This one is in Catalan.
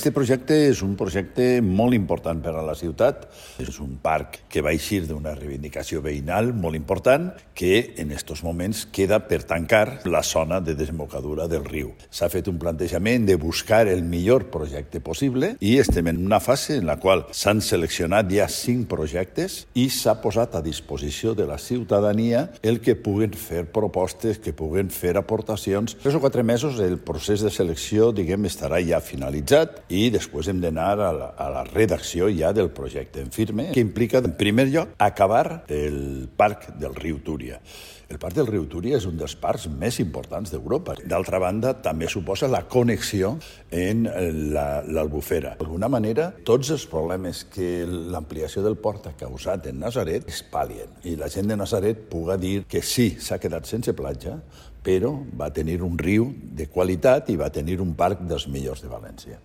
Este projecte és un projecte molt important per a la ciutat. És un parc que va eixir d'una reivindicació veïnal molt important que en estos moments queda per tancar la zona de desembocadura del riu. S'ha fet un plantejament de buscar el millor projecte possible i estem en una fase en la qual s'han seleccionat ja 5 projectes i s'ha posat a disposició de la ciutadania el que puguen fer propostes, que puguen fer aportacions. 3 o 4 mesos el procés de selecció, estarà ja finalitzat i després hem d'anar a la redacció ja del projecte en firme, que implica, en primer lloc, acabar el parc del riu Túria. El parc del riu Túria és un dels parcs més importants d'Europa. D'altra banda, també suposa la connexió en l'Albufera. D'alguna manera, tots els problemes que l'ampliació del port ha causat en Natzaret es palien. I la gent de Natzaret puga dir que sí, s'ha quedat sense platja, però va tenir un riu de qualitat i va tenir un parc dels millors de València.